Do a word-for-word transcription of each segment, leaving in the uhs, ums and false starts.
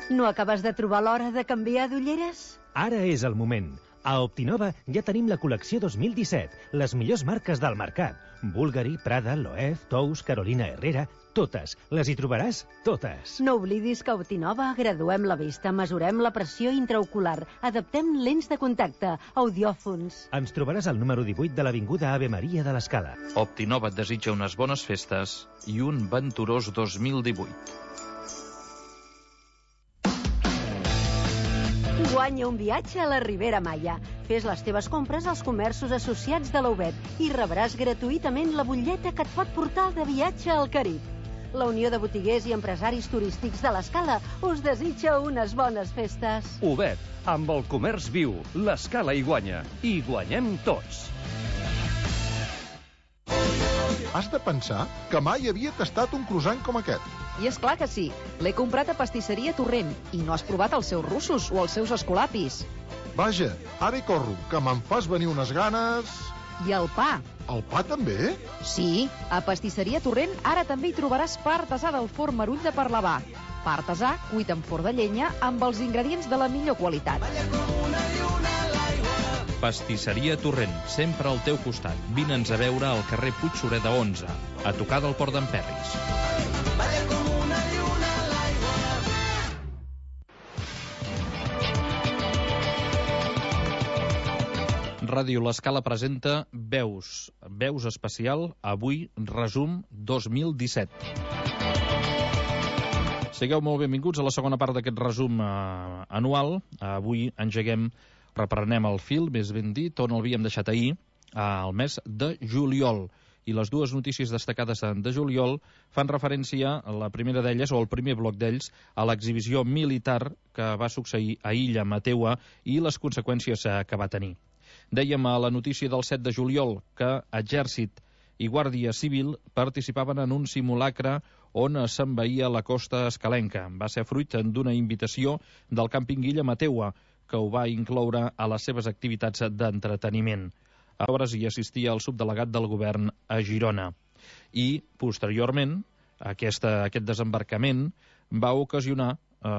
No acabes de trobar l'hora de canviar d'ulleres? Ara és el moment. A Optinova ja tenim la col·lecció dos mil disset, les millors marques del mercat. Bulgari, Prada, Loewe, Tous, Carolina Herrera, totes. Les hi trobaràs totes. No oblidis que a Optinova graduem la vista, mesurem la pressió intraocular, adaptem lents de contacte, audiòfons. Ens trobaràs al número divuit de l'Avinguda Ave Maria de l'Escala. Optinova et desitja unes bones festes i un venturós dos mil divuit. Guanya un viatge a la Ribera Maya. Fes les teves compres als comerços associats de l'Aubet i rebràs gratuïtament la butlleta que et pot portar de viatge al Carib. La Unió de Botiguers i Empresaris Turístics de l'Escala us desitja unes bones festes. Aubet, amb el comerç viu, l'Escala hi guanya. I guanyem tots. Has de pensar que mai havia tastat un croissant com aquest. I és clar que sí. L'he comprat a Pastisseria Torrent i no has provat els seus russos o els seus escolapis. Vaja, ara hi corro, que me'n fas venir unes ganes... I el pa. El pa també? Sí, a Pastisseria Torrent ara també hi trobaràs pa artesà del forn Marull de Parlavà. Pa artesà cuit en forn de llenya amb els ingredients de la millor qualitat. Pastisseria Torrent, sempre al teu costat. Vine'ns a veure al carrer Puig Sureda onze, a tocar del Port d'en Perris. Ràdio L'Escala presenta Veus. Veus especial, avui, resum dos mil disset. Sigueu molt benvinguts a la segona part d'aquest resum eh, anual. Avui engeguem, reprenem el fil, més ben dit, on l'havíem deixat ahir, al mes de juliol. I les dues notícies destacades de juliol fan referència, a la primera d'elles, o el primer bloc d'ells, a l'exhibició militar que va succeir a Illa Mateua i les conseqüències que va tenir. Dèiem a la notícia del set de juliol que Exèrcit i Guàrdia Civil participaven en un simulacre on s'envaïa la costa escalenca. Va ser fruit d'una invitació del càmping Illa Mateua, que ho va incloure a les seves activitats d'entreteniment. A hores hi assistia el subdelegat del govern a Girona. I, posteriorment, aquesta, aquest desembarcament va ocasionar eh,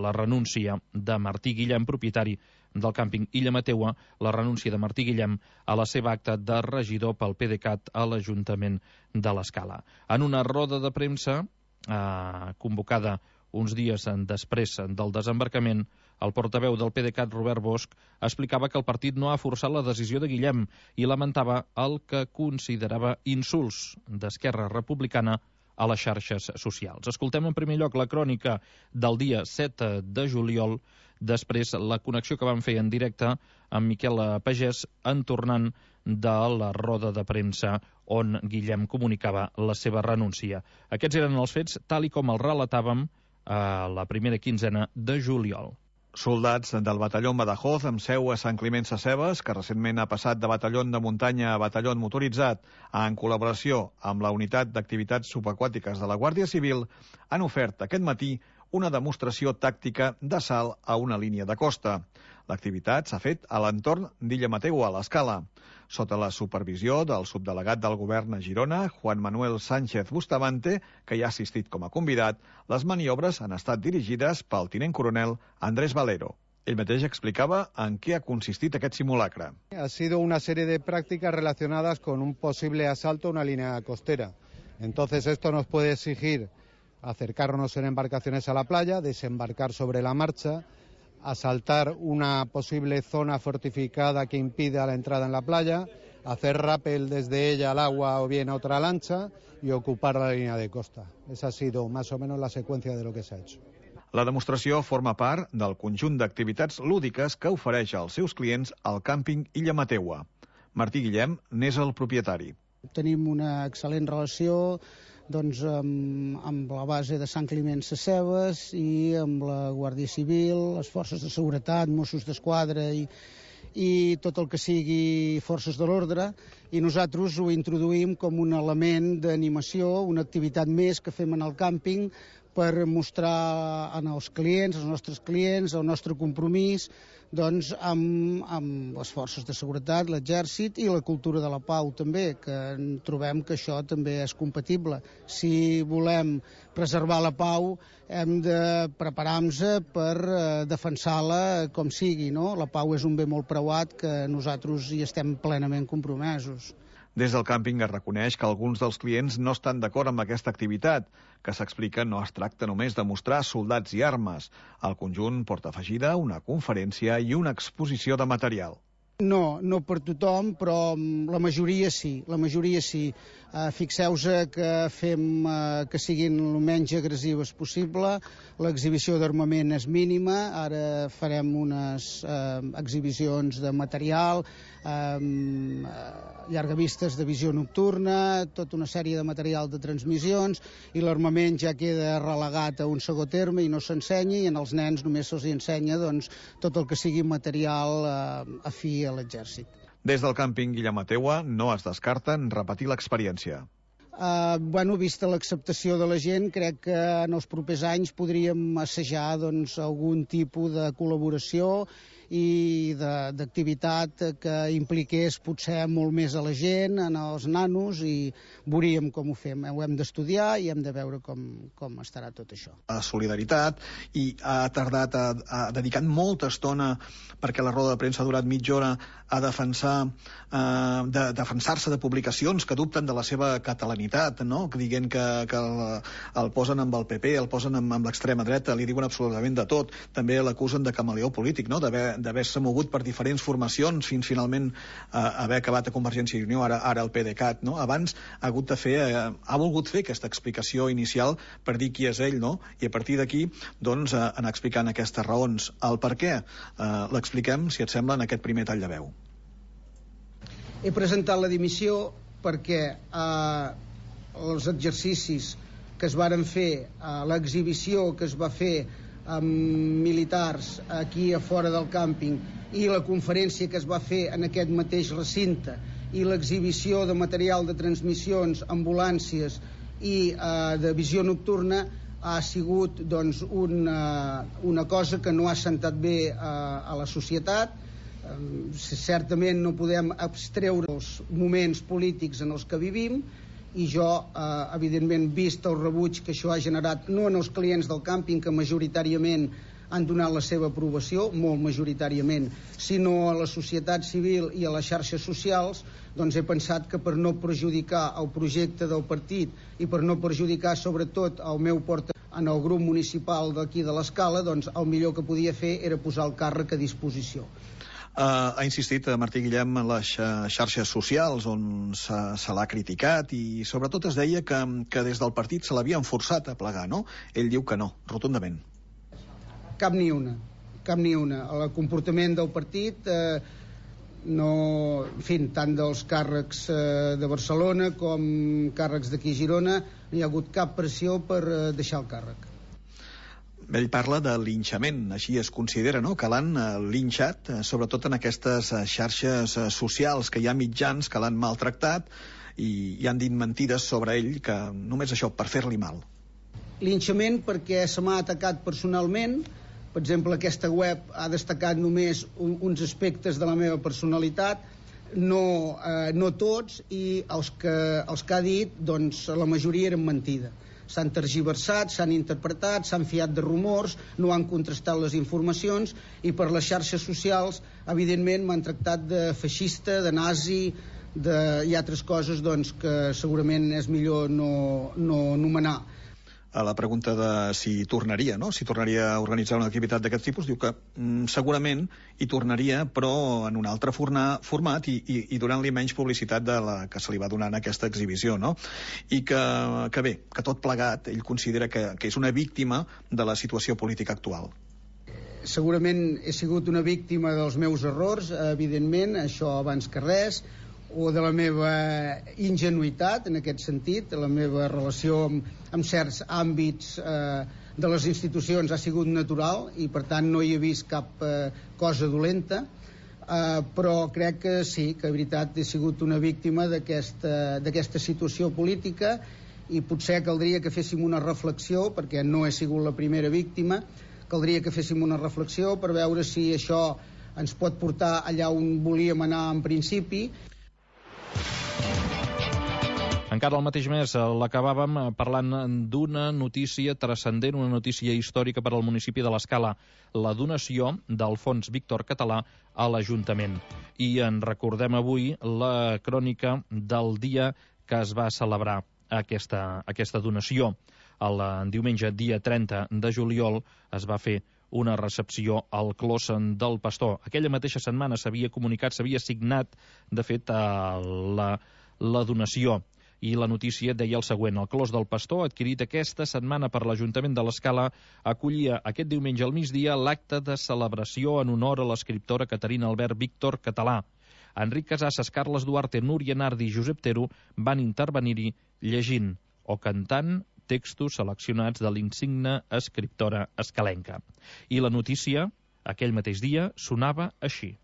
la renúncia de Martí Guillem, propietari del càmping Illa Mateua, la renúncia de Martí Guillem a la seva acta de regidor pel PDeCAT a l'Ajuntament de l'Escala. En una roda de premsa eh, convocada uns dies després del desembarcament, el portaveu del PDeCAT, Robert Bosch, explicava que el partit no ha forçat la decisió de Guillem i lamentava el que considerava insults d'Esquerra Republicana a les xarxes socials. Escoltem en primer lloc la crònica del dia set de juliol, després la connexió que vam fer en directe amb Miquel Pagès en tornant de la roda de premsa on Guillem comunicava la seva renúncia. Aquests eren els fets tal i com els relatàvem a la primera quinzena de juliol. Soldats del batalló Badajoz amb seu a Sant Climent Sescebes, que recentment ha passat de batalló de muntanya a batalló motoritzat en col·laboració amb la unitat d'activitats subaquàtiques de la Guàrdia Civil, han ofert aquest matí una demostració tàctica d'assalt a una línia de costa. L'activitat s'ha fet a l'entorn d'Illa Mateua, a l'Escala. Sota la supervisió del subdelegat del govern a Girona, Juan Manuel Sánchez Bustamante, que hi ha assistit com a convidat, les maniobres han estat dirigides pel tinent coronel Andrés Valero. Ell mateix explicava en què ha consistit aquest simulacre. Ha sido una serie de prácticas relacionadas con un posible asalto a una línea costera. Entonces esto nos puede exigir acercarnos en embarcaciones a la playa, desembarcar sobre la marcha, asaltar una posible zona fortificada que impida la entrada en la playa, hacer rappel desde ella al agua o bien a otra lancha y ocupar la línea de costa. Esa ha sido más o menos la secuencia de lo que se ha hecho. La demostració forma part del conjunt d'activitats lúdiques que ofereix als seus clients el càmping Illa Mateua. Martí Guillem n'és el propietari. Tenim una excel·lent relació doncs, amb, amb la base de Sant Climent Sescebes i amb la Guàrdia Civil, les forces de seguretat, Mossos d'Esquadra i, i tot el que sigui forces de l'ordre, i nosaltres ho introduïm com un element d'animació, una activitat més que fem en el càmping per mostrar als clients, als nostres clients, el nostre compromís doncs, amb, amb les forces de seguretat, l'exèrcit i la cultura de la pau també, que trobem que això també és compatible. Si volem preservar la pau hem de preparar-nos per eh, defensar-la com sigui, no? La pau és un bé molt preuat que nosaltres hi estem plenament compromesos. Des del càmping es reconeix que alguns dels clients no estan d'acord amb aquesta activitat, que s'explica no es tracta només de mostrar soldats i armes. El conjunt porta afegida una conferència i una exposició de material. No, no per tothom, però la majoria sí, la majoria sí. Uh, Fixeu-vos que fem uh, que siguin el menys agressives possible, l'exhibició d'armament és mínima, ara farem unes uh, exhibicions de material, um, llargavistes de visió nocturna, tota una sèrie de material de transmissions, i l'armament ja queda relegat a un segon terme i no s'ensenya, i en els nens només se'ls ensenya doncs, tot el que sigui material uh, afí a l'exèrcit. Des del càmping Guillem Mateua no es descarten repetir l'experiència. Uh, bueno, vista l'acceptació de la gent, crec que en els propers anys podríem assajar doncs, algun tipus de col·laboració i d'activitat que impliqués potser molt més a la gent, en els nanos, i veuríem com ho fem. Ho hem d'estudiar i hem de veure com, com estarà tot això. A solidaritat, i ha tardat, ha, ha dedicat molta estona, perquè la roda de premsa ha durat mitja hora, a defensar, eh, de, defensar-se de publicacions que dubten de la seva catalanitat, no? Dient que, que el, el posen amb el P P, el posen amb, amb l'extrema dreta, li diuen absolutament de tot. També l'acusen de camaleó polític, no? D'haver-se mogut per diferents formacions fins finalment eh, haver acabat a Convergència i Unió, ara, ara el PDeCAT, no? Abans ha hagut de fer, eh, ha volgut fer aquesta explicació inicial per dir qui és ell, no? I a partir d'aquí, doncs, eh, anar explicant aquestes raons. El per què eh, l'expliquem, si et sembla, en aquest primer tall de veu. He presentat la dimissió perquè eh, els exercicis que es varen fer, eh, l'exhibició que es va fer amb militars aquí a fora del càmping i la conferència que es va fer en aquest mateix recinte i l'exhibició de material de transmissions, ambulàncies i eh, de visió nocturna ha sigut doncs, una, una cosa que no ha sentat bé eh, a la societat. Certament no podem abstreure els moments polítics en els que vivim, i jo, eh, evidentment, vist el rebuig que això ha generat, no en els clients del càmping, que majoritàriament han donat la seva aprovació, molt majoritàriament, sinó a la societat civil i a les xarxes socials, doncs he pensat que per no perjudicar el projecte del partit i per no perjudicar sobretot el meu portaveu en el grup municipal d'aquí de l'Escala, doncs el millor que podia fer era posar el càrrec a disposició. Uh, ha insistit Martí Guillem en les xarxes socials on se, se l'ha criticat, i sobretot es deia que, que des del partit se l'havien forçat a plegar, no? Ell diu que no, rotundament. Cap ni una, cap ni una. El comportament del partit, eh, no, en fi, tant dels càrrecs eh, de Barcelona com càrrecs d'aquí a Girona, no hi ha hagut cap pressió per eh, deixar el càrrec. Ell parla de linxament, així es considera, no?, que l'han linxat, sobretot en aquestes xarxes socials, que hi ha mitjans que l'han maltractat i, i han dit mentides sobre ell, que només això, per fer-li mal. Linxament perquè se m'ha atacat personalment. Per exemple, aquesta web ha destacat només un, uns aspectes de la meva personalitat, no, eh, no tots, i els que, els que ha dit, doncs, la majoria eren mentida. S'han tergiversat, s'han interpretat, s'han fiat de rumors, no han contrastat les informacions, i per les xarxes socials, evidentment, m'han tractat de feixista, de nazi, de, i altres coses doncs, que segurament és millor no, no anomenar. A la pregunta de si tornaria, no? si tornaria a organitzar una activitat d'aquest tipus, diu que mm, segurament hi tornaria, però en un altre forna, format i, i, i donant-li menys publicitat de la que se li va donar en aquesta exhibició, no? I que, que bé, que tot plegat ell considera que, que és una víctima de la situació política actual. Segurament he sigut una víctima dels meus errors, evidentment, això abans que res, o de la meva ingenuïtat, en aquest sentit, la meva relació amb, amb certs àmbits eh, de les institucions ha sigut natural i, per tant, no hi he vist cap eh, cosa dolenta. Uh, però crec que sí, que de veritat he sigut una víctima d'aquesta situació política i potser caldria que féssim una reflexió, perquè no he sigut la primera víctima, caldria que féssim una reflexió per veure si això ens pot portar allà on volíem anar en principi. Encara el mateix mes l'acabàvem parlant d'una notícia transcendent, una notícia històrica per al municipi de l'Escala, la donació del Fons Víctor Català a l'Ajuntament. I en recordem avui la crònica del dia que es va celebrar aquesta, aquesta donació. El diumenge, dia trenta de juliol, es va fer una recepció al Clos del Pastor. Aquella mateixa setmana s'havia comunicat, s'havia signat, de fet, la, la donació. I la notícia deia el següent: el Clos del Pastor, adquirit aquesta setmana per l'Ajuntament de l'Escala, acollia aquest diumenge al migdia l'acte de celebració en honor a l'escriptora Caterina Albert Víctor Català. Enric Casasses, Carles Duarte, Núria Nardi i Josep Tero van intervenir-hi llegint o cantant textos seleccionats de l'insigne escriptora escalenca. I la notícia, aquell mateix dia, sonava així.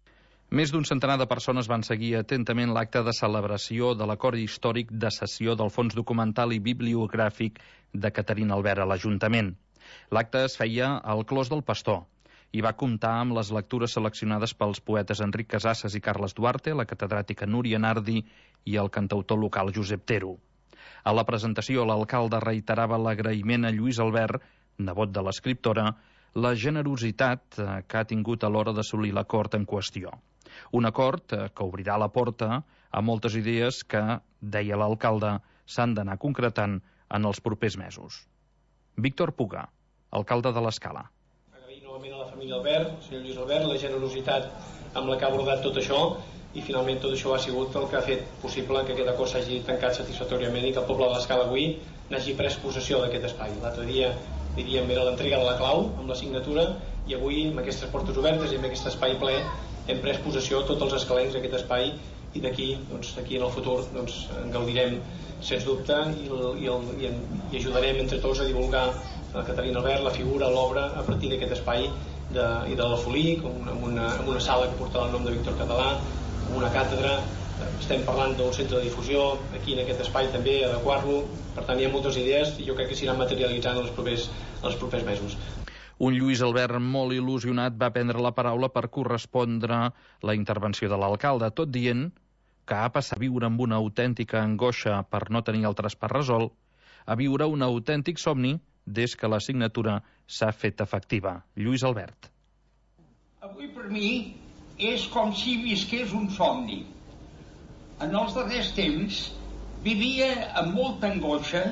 Més d'un centenar de persones van seguir atentament l'acte de celebració de l'acord històric de cessió del Fons Documental i Bibliogràfic de Caterina Albert a l'Ajuntament. L'acte es feia al Clos del Pastor i va comptar amb les lectures seleccionades pels poetes Enric Casasses i Carles Duarte, la catedràtica Núria Nardi i el cantautor local Josep Tero. A la presentació, l'alcalde reiterava l'agraïment a Lluís Albert, nebot de l'escriptora, la generositat que ha tingut a l'hora d'assolir l'acord en qüestió. Un acord que obrirà la porta a moltes idees que, deia l'alcalde, s'han d'anar concretant en els propers mesos. Víctor Puga, alcalde de l'Escala. Agrair novament a la família Albert, el senyor Lluís Albert, la generositat amb la que ha abordat tot això, i finalment tot això ha sigut el que ha fet possible que aquest acord s'hagi tancat satisfactòriament i que el poble de l'Escala avui n'hagi pres possessió d'aquest espai. L'altre dia, diríem, era l'entrega de la clau amb la signatura, i avui, amb aquestes portes obertes i amb aquest espai ple, hem pres possessió tots els escalencs d'aquest espai, i d'aquí, doncs, aquí en el futur, doncs, en gaudirem sens dubte i, el, i, el, i, en, i ajudarem entre tots a divulgar la Caterina Albert, la figura, l'obra, a partir d'aquest espai de, i de l'Alfolí, amb una, amb una sala que portarà el nom de Víctor Català, amb una càtedra. Estem parlant d'un centre de difusió aquí en aquest espai també, adequar-lo. Per tant, hi ha moltes idees i jo crec que s'iran materialitzant en els propers, en els propers mesos. Un Lluís Albert molt il·lusionat va prendre la paraula per correspondre la intervenció de l'alcalde, tot dient que ha passat a viure amb una autèntica angoixa per no tenir el traspàs resolt, a viure un autèntic somni des que la signatura s'ha fet efectiva. Lluís Albert. Avui per mi és com si visqués un somni. En els darrers temps vivia amb molta angoixa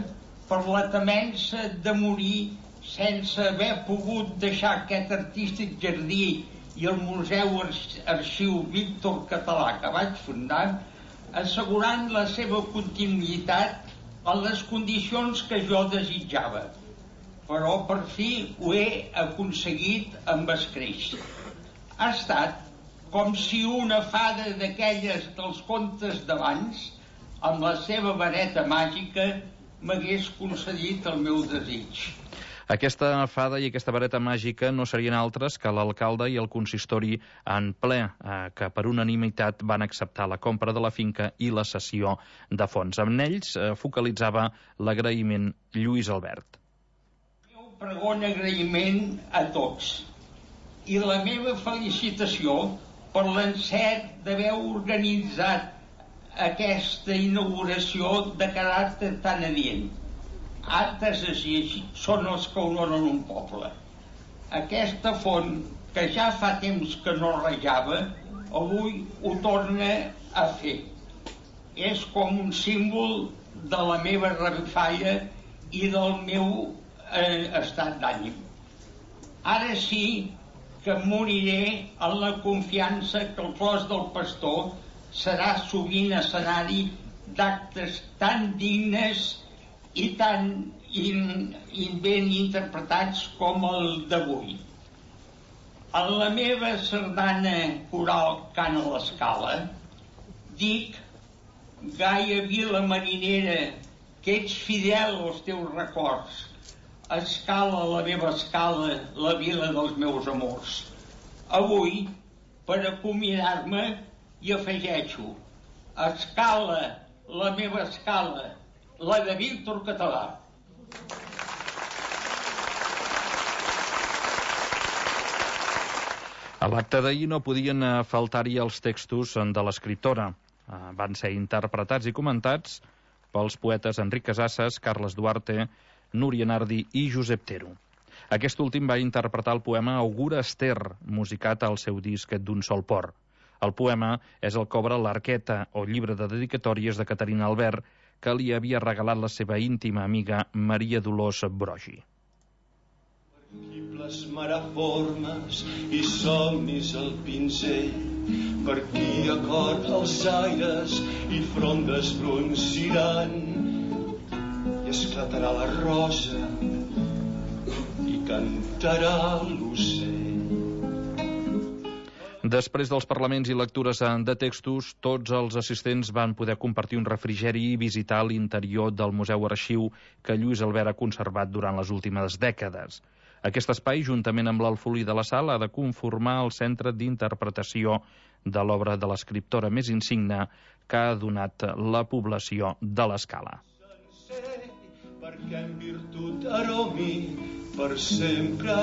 per la temença de morir sense haver pogut deixar aquest artístic jardí i el Museu Arxiu Víctor Català que vaig fundar, assegurant la seva continuïtat en les condicions que jo desitjava. Però per fi ho he aconseguit amb escreix. Ha estat com si una fada d'aquelles dels contes d'abans, amb la seva vareta màgica, m'hagués concedit el meu desig. Aquesta fada i aquesta vareta màgica no serien altres que l'alcalde i el consistori en ple, eh, que per unanimitat van acceptar la compra de la finca i la cessió de fons. Amb ells eh, focalitzava l'agraïment Lluís Albert. El meu pregon agraïment a tots i la meva felicitació per l'encert d'haver organitzat aquesta inauguració de caràcter tan adient. Actes així són els que honoren un poble. Aquesta font, que ja fa temps que no rejava, avui ho torna a fer. És com un símbol de la meva revifalla i del meu eh, estat d'ànim. Ara sí que moriré en la confiança que el Clos del Pastor serà sovint escenari d'actes tan dignes i tan in, in ben interpretats com el d'avui. En la meva sardana coral Cant a l'Escala dic: Gaia vila marinera, que ets fidel als teus records, escala la meva escala, la vila dels meus amors. Avui per acomiadar-me i afegeixo: escala, la meva escala, la de Víctor Català. A l'acte d'ahir no podien faltar-hi els textos de l'escriptora. Van ser interpretats i comentats pels poetes Enric Casasses, Carles Duarte, Núria Nardi i Josep Tero. Aquest últim va interpretar el poema Augura Ester, musicat al seu disc D'un sol port. El poema és el que obre l'Arqueta, o llibre de dedicatòries de Caterina Albert, que li havia regalat la seva íntima amiga Maria Dolors Brogi. Qui plasmarà formes i somnis al pinzell, per qui acord els aires i frondes bronciran, i esclatarà la rosa i cantarà l'ocell. Després dels parlaments i lectures de textos, tots els assistents van poder compartir un refrigeri i visitar l'interior del Museu Arxiu que Lluís Albert ha conservat durant les últimes dècades. Aquest espai, juntament amb l'Alfolí de la Sal, ha de conformar el centre d'interpretació de l'obra de l'escriptora més insigne que ha donat la població de l'Escala. Perquè en virtut aromi per sempre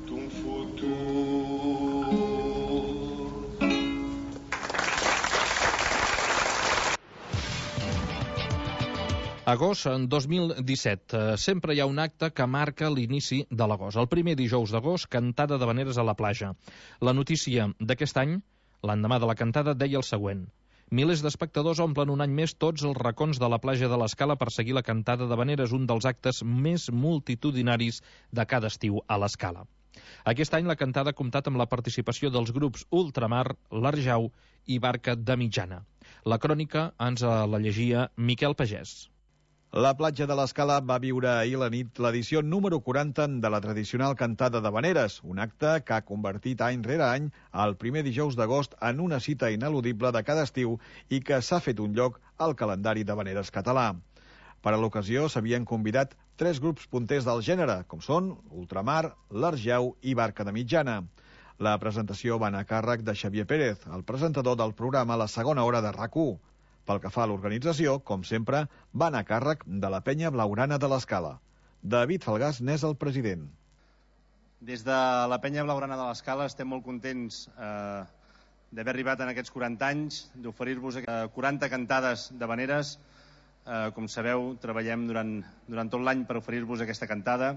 d'un futur. Agost dos mil disset. Sempre hi ha un acte que marca l'inici de l'agost. El primer dijous d'agost, cantada d'havaneres a la platja. La notícia d'aquest any, l'endemà de la cantada, deia el següent: milers d'espectadors omplen un any més tots els racons de la platja de l'Escala per seguir la cantada d'havaneres, un dels actes més multitudinaris de cada estiu a l'Escala. Aquest any la cantada ha comptat amb la participació dels grups Ultramar, l'Arjau i Barca de Mitjana. La crònica ens la llegia Miquel Pagès. La platja de l'Escala va viure ahir la nit l'edició número quaranta de la tradicional cantada d'havaneres, un acte que ha convertit any rere any el primer dijous d'agost en una cita ineludible de cada estiu i que s'ha fet un lloc al calendari d'havaneres català. Per a l'ocasió s'havien convidat tres grups punters del gènere, com són Ultramar, l'Arjau i Barca de Mitjana. La presentació va anar a càrrec de Xavier Pérez, el presentador del programa La segona hora de RAC u. Pel que fa a l'organització, com sempre, va anar a càrrec de la penya blaugrana de l'Escala. David Falgàs n'és el president. Des de la penya blaugrana de l'Escala estem molt contents eh, d'haver arribat en aquests quaranta anys, d'oferir-vos quaranta cantades d'havaneres. Eh, com sabeu, treballem durant, durant tot l'any per oferir-vos aquesta cantada.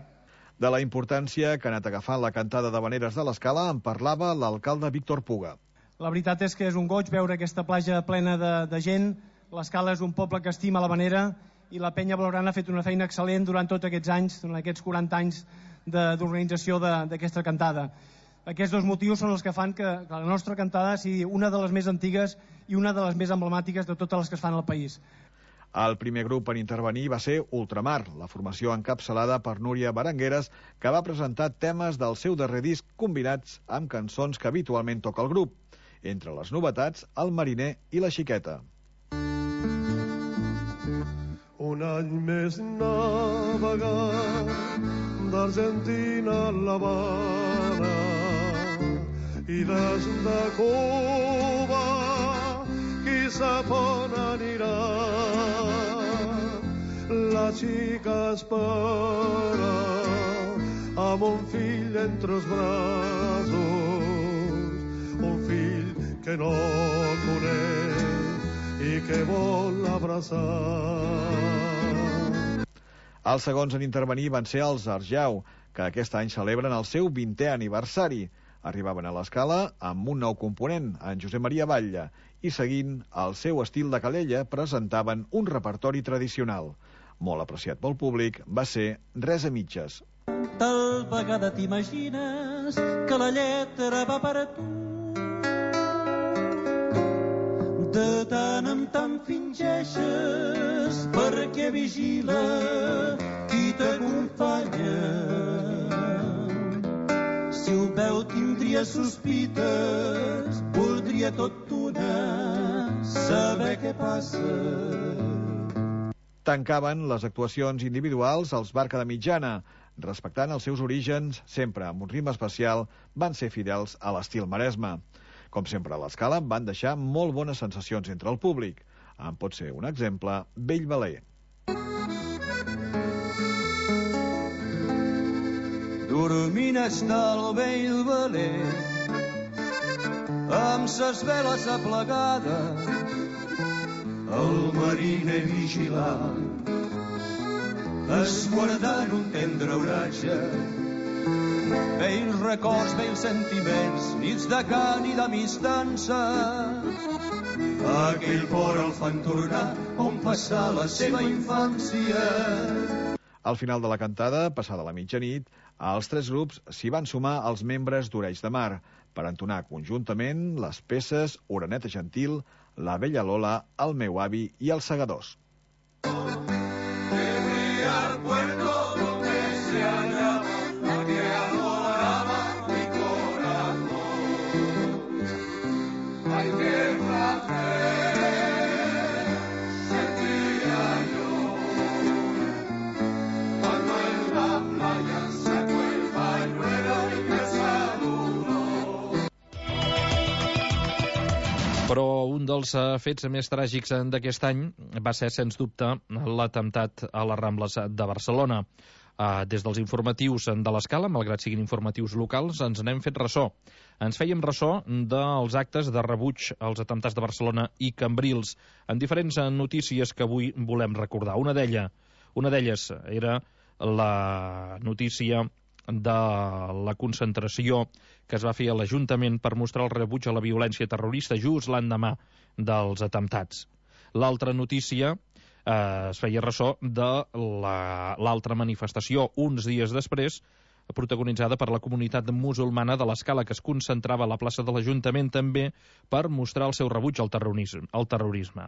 De la importància que ha anat agafant la cantada d'havaneres de l'Escala en parlava l'alcalde Víctor Puga. La veritat és que és un goig veure aquesta platja plena de, de gent. L'Escala és un poble que estima l'havanera i la penya blaugrana ha fet una feina excel·lent durant tots aquests anys, durant aquests quaranta anys d'organització d'aquesta cantada. Aquests dos motius són els que fan que, que la nostra cantada sigui una de les més antigues i una de les més emblemàtiques de totes les que es fan al país. El primer grup en intervenir va ser Ultramar, la formació encapçalada per Núria Berengueres, que va presentar temes del seu darrer disc combinats amb cançons que habitualment toca el grup. Entre les novetats, El mariner i La xiqueta. Un any més navegar d'Argentina a l'Havana i des de Cuba qui sap on anirà. La xica espera amb un fill entre els braços, un fill que no coneix i que vol abraçar. Els segons en intervenir van ser els Arjau, que aquest any celebren el seu vintè aniversari. Arribaven a l'Escala amb un nou component, en Josep Maria Batlle, i seguint el seu estil de Calella presentaven un repertori tradicional. Molt apreciat pel públic va ser Res a mitges. Tal vegada t'imagines que la lletra va per a tu. De tant en tant fingeixes perquè vigila qui t'acompanya. Si ho veu tindria sospites, voldria tot d'una saber què passa. tancaven les actuacions individuals als Barca de Mitjana, respectant els seus orígens, sempre amb un ritme especial, van ser fidels a l'estil Maresme. Com sempre a l'Escala, van deixar molt bones sensacions entre el públic. En pot ser un exemple, Bellvaler. Dormint està el Bellvaler amb ses veles aplegades, el mariner vigilant, esguardant un tendre oratge. Vells records, vells sentiments, nits de cant i d'amistança, aquell port el fan tornar on passar la seva infància. Al final de la cantada, passada la mitjanit, als tres grups s'hi van sumar els membres d'Oreig de Mar per entonar conjuntament les peces Oreneta Gentil, La vella Lola, El meu avi i Els segadors. Però un dels fets més tràgics d'aquest any va ser, sens dubte, l'atemptat a les Rambles de Barcelona. Des dels informatius de l'Escala, malgrat siguin informatius locals, ens n'hem fet ressò. Ens fèiem ressò dels actes de rebuig als atemptats de Barcelona i Cambrils, en diferents notícies que avui volem recordar. Una d'elles, una d'elles era la notícia de la concentració que es va fer a l'Ajuntament per mostrar el rebuig a la violència terrorista just l'endemà dels atemptats. L'altra notícia eh, es feia ressò de l'altra la, manifestació, uns dies després, protagonitzada per la comunitat musulmana de l'Escala, que es concentrava a la plaça de l'Ajuntament també per mostrar el seu rebuig al terrorisme. Al terrorisme.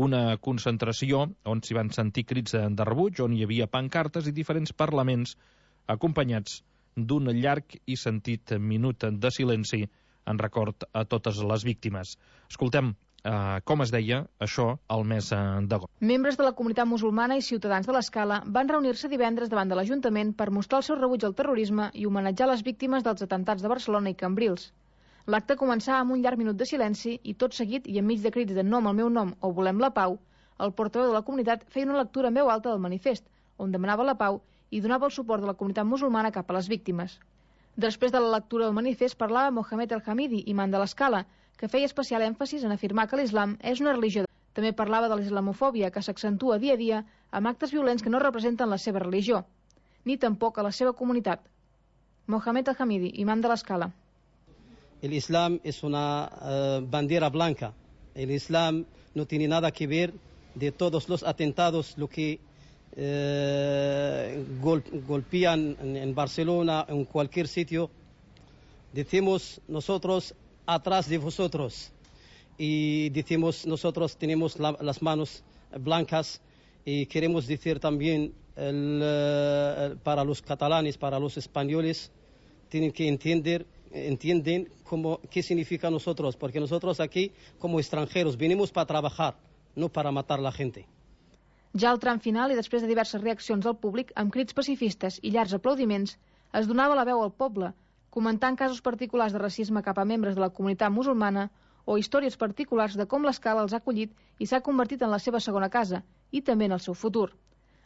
Una concentració on s'hi van sentir crits de rebuig, on hi havia pancartes i diferents parlaments acompanyats d'un llarg i sentit minut de silenci en record a totes les víctimes. Escoltem eh, com es deia això al mes d'agost. Membres de la comunitat musulmana i ciutadans de l'Escala van reunir-se divendres davant de l'Ajuntament per mostrar el seu rebuig al terrorisme i homenatjar les víctimes dels atemptats de Barcelona i Cambrils. L'acte començava amb un llarg minut de silenci i tot seguit i enmig de crits de nom al meu nom o volem la pau, el portaveu de la comunitat feia una lectura en veu alta del manifest, on demanava la pau i donava el suport de la comunitat musulmana cap a les víctimes. Després de la lectura del manifest parlava Mohamed El Hamidi, imam de l'Escala, que feia especial èmfasis en afirmar que l'islam és una religió. També parlava de l'islamofòbia, que s'accentua dia a dia amb actes violents que no representen la seva religió, ni tampoc a la seva comunitat. Mohamed El Hamidi, imam de l'Escala. El Islam es una uh, bandera blanca. El Islam no tiene nada que ver de todos los atentados, lo que Eh, gol, golpean en, en Barcelona, en cualquier sitio. Decimos nosotros atrás de vosotros y decimos nosotros tenemos la, las manos blancas y queremos decir también el, el, para los catalanes, para los españoles, tienen que entender entienden cómo, qué significa nosotros, porque nosotros aquí como extranjeros venimos para trabajar, no para matar a la gente. Ja al tram final i després de diverses reaccions del públic, amb crits pacifistes i llargs aplaudiments, es donava la veu al poble, comentant casos particulars de racisme cap a membres de la comunitat musulmana o històries particulars de com l'Escala els ha acollit i s'ha convertit en la seva segona casa, i també en el seu futur.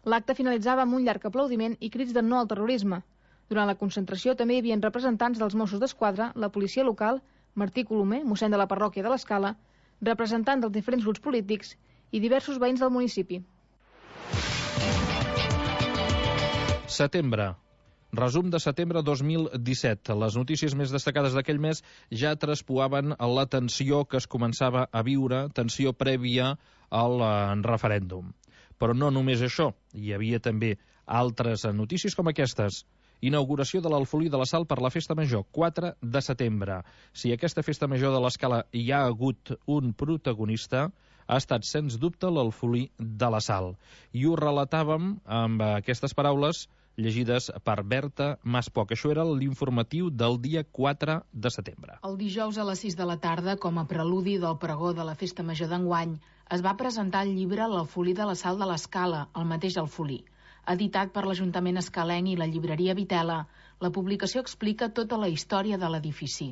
L'acte finalitzava amb un llarg aplaudiment i crits de no al terrorisme. Durant la concentració també hi havia representants dels Mossos d'Esquadra, la policia local, Martí Colomer, mossèn de la parròquia de l'Escala, representants dels diferents grups polítics i diversos veïns del municipi. Setembre. Resum de setembre dos mil disset. Les notícies més destacades d'aquell mes ja traspuaven la tensió que es començava a viure, tensió prèvia al referèndum. Però no només això, hi havia també altres notícies com aquestes. Inauguració de l'Alfolí de la Sal per la Festa Major, quatre de setembre. Si aquesta Festa Major de l'Escala hi ha hagut un protagonista, ha estat, sens dubte, l'Alfolí de la Sal. I ho relatàvem amb aquestes paraules llegides per Berta Maspoc. Això era l'informatiu del dia quatre de setembre. El dijous a les sis de la tarda, com a preludi del pregó de la Festa Major d'enguany, es va presentar el llibre L'Alfolí de la Sal de l'Escala, el mateix Alfolí. Editat per l'Ajuntament escalenc i la llibreria Vitela, la publicació explica tota la història de l'edifici.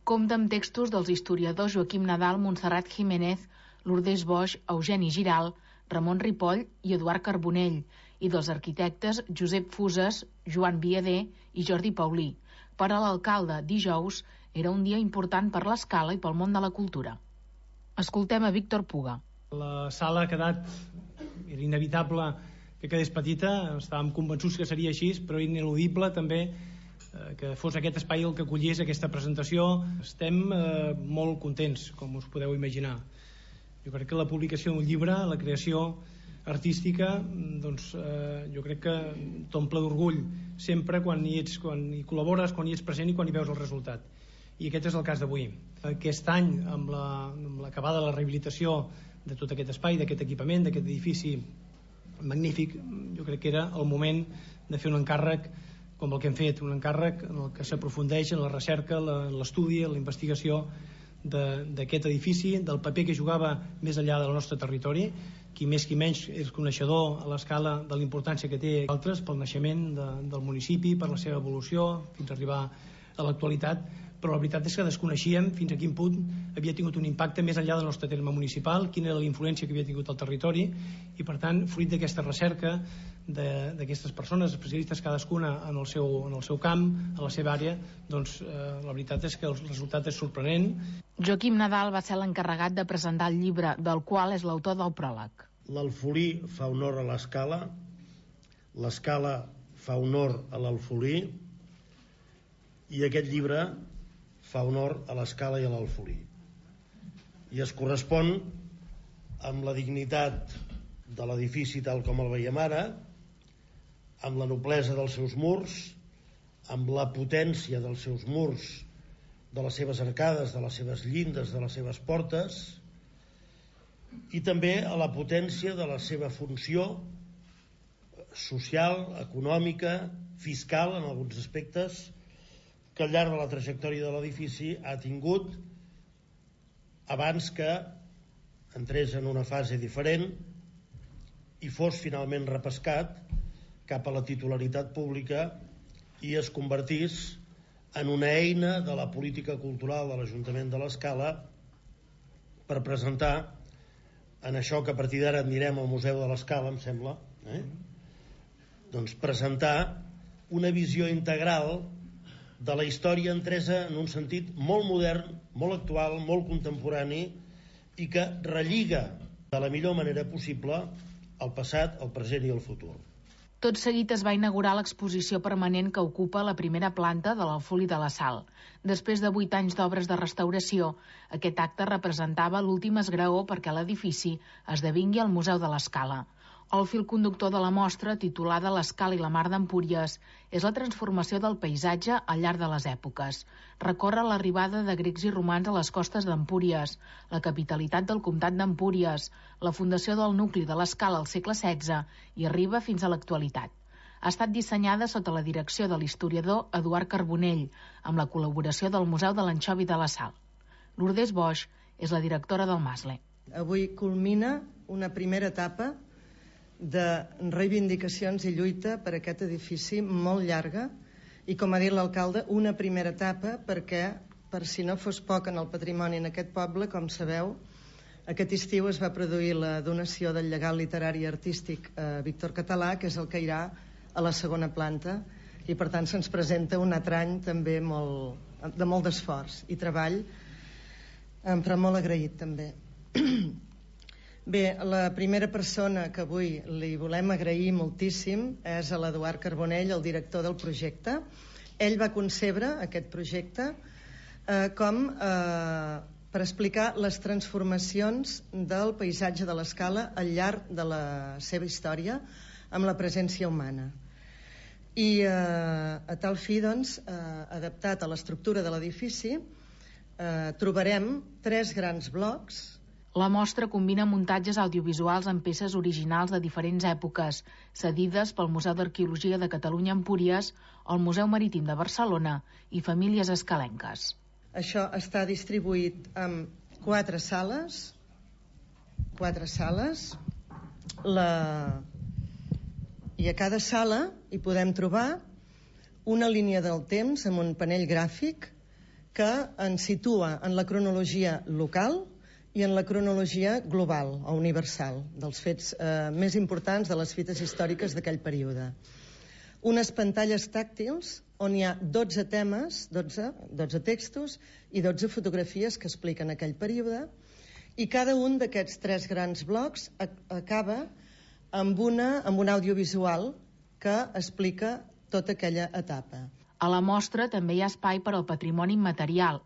Compta amb textos dels historiadors Joaquim Nadal, Montserrat Jiménez, Lourdes Boix, Eugeni Giral, Ramon Ripoll i Eduard Carbonell, i dels arquitectes Josep Fuses, Joan Viader i Jordi Paulí. Per a l'alcalde, dijous era un dia important per l'Escala i pel món de la cultura. Escoltem a Víctor Puga. La sala ha quedat, era inevitable que quedés petita, estàvem convençuts que seria així, però ineludible també eh, que fos aquest espai el que acollís aquesta presentació. Estem eh, molt contents, com us podeu imaginar. Jo crec que la publicació d'un llibre, la creació artística, doncs eh, jo crec que t'omple d'orgull sempre quan hi ets, quan hi col·labores, quan hi ets present i quan hi veus el resultat. I aquest és el cas d'avui. Aquest any, amb l'acabada la, de la rehabilitació de tot aquest espai, d'aquest equipament, d'aquest edifici magnífic, jo crec que era el moment de fer un encàrrec com el que hem fet, un encàrrec en el que s'aprofundeix en la recerca, l'estudi, la investigació d'aquest edifici, del paper que jugava més enllà del nostre territori. Qui més qui menys és coneixedor a l'escala de la importància que té altres pel naixement de, del municipi, per la seva evolució fins a arribar a l'actualitat, però la veritat és que desconeixíem fins a quin punt havia tingut un impacte més enllà del nostre terme municipal, quina era la influència que havia tingut al territori, i per tant, fruit d'aquesta recerca d'aquestes persones, especialistes cadascuna en el seu, en el seu camp, en la seva àrea, doncs eh, la veritat és que el resultat és sorprenent. Joaquim Nadal va ser l'encarregat de presentar el llibre, del qual és l'autor del pròleg. L'Alfolí fa honor a l'Escala, l'Escala fa honor a l'Alfolí, i aquest llibre fa honor a l'Escala i a l'Alfolí. I es correspon amb la dignitat de l'edifici tal com el veiem ara, amb la noblesa dels seus murs, amb la potència dels seus murs, de les seves arcades, de les seves llindes, de les seves portes, i també a la potència de la seva funció social, econòmica, fiscal, en alguns aspectes, que al llarg de la trajectòria de l'edifici ha tingut abans que entrés en una fase diferent i fos finalment repescat cap a la titularitat pública i es convertís en una eina de la política cultural de l'Ajuntament de l'Escala per presentar en això que a partir d'ara en direm al Museu de l'Escala, em sembla, eh? doncs presentar una visió integral de la història entresa en un sentit molt modern, molt actual, molt contemporani i que relliga de la millor manera possible el passat, el present i el futur. Tot seguit es va inaugurar l'exposició permanent que ocupa la primera planta de l'Alfolí de la Sal. Després de vuit anys d'obres de restauració, aquest acte representava l'últim esgraó perquè l'edifici esdevingui el Museu de l'Escala. El fil conductor de la mostra, titulada L'Escala i la Mar d'Empúries, és la transformació del paisatge al llarg de les èpoques. Recorre l'arribada de grecs i romans a les costes d'Empúries, la capitalitat del comtat d'Empúries, la fundació del nucli de l'Escala al segle setze i arriba fins a l'actualitat. Ha estat dissenyada sota la direcció de l'historiador Eduard Carbonell, amb la col·laboració del Museu de l'Anxovi de la Sal. Lourdes Boix és la directora del Masle. Avui culmina una primera etapa de reivindicacions i lluita per aquest edifici molt llarga i, com ha dit l'alcalde, una primera etapa perquè, per si no fos poc en el patrimoni en aquest poble, com sabeu, aquest estiu es va produir la donació del llegat literari i artístic a Víctor Català, que és el que irà a la segona planta, i per tant se'ns presenta un altre any també molt, de molt d'esforç i treball, però molt agraït també. Bé, la primera persona que avui li volem agrair moltíssim és a l'Eduard Carbonell, el director del projecte. Ell va concebre aquest projecte eh, com eh, per explicar les transformacions del paisatge de l'Escala al llarg de la seva història amb la presència humana. I eh, a tal fi, doncs, eh, adaptat a l'estructura de l'edifici, eh, trobarem tres grans blocs. La mostra combina muntatges audiovisuals amb peces originals de diferents èpoques, cedides pel Museu d'Arqueologia de Catalunya Empúries, el Museu Marítim de Barcelona i famílies escalenques. Això està distribuït en quatre sales, quatre sales, la... i a cada sala hi podem trobar una línia del temps amb un panell gràfic que ens situa en la cronologia local i en la cronologia global o universal dels fets eh, més importants de les fites històriques d'aquell període. Unes pantalles tàctils on hi ha dotze temes, dotze, dotze textos i dotze fotografies que expliquen aquell període, i cada un d'aquests tres grans blocs acaba amb, una, amb un audiovisual que explica tota aquella etapa. A la mostra també hi ha espai per al patrimoni immaterial,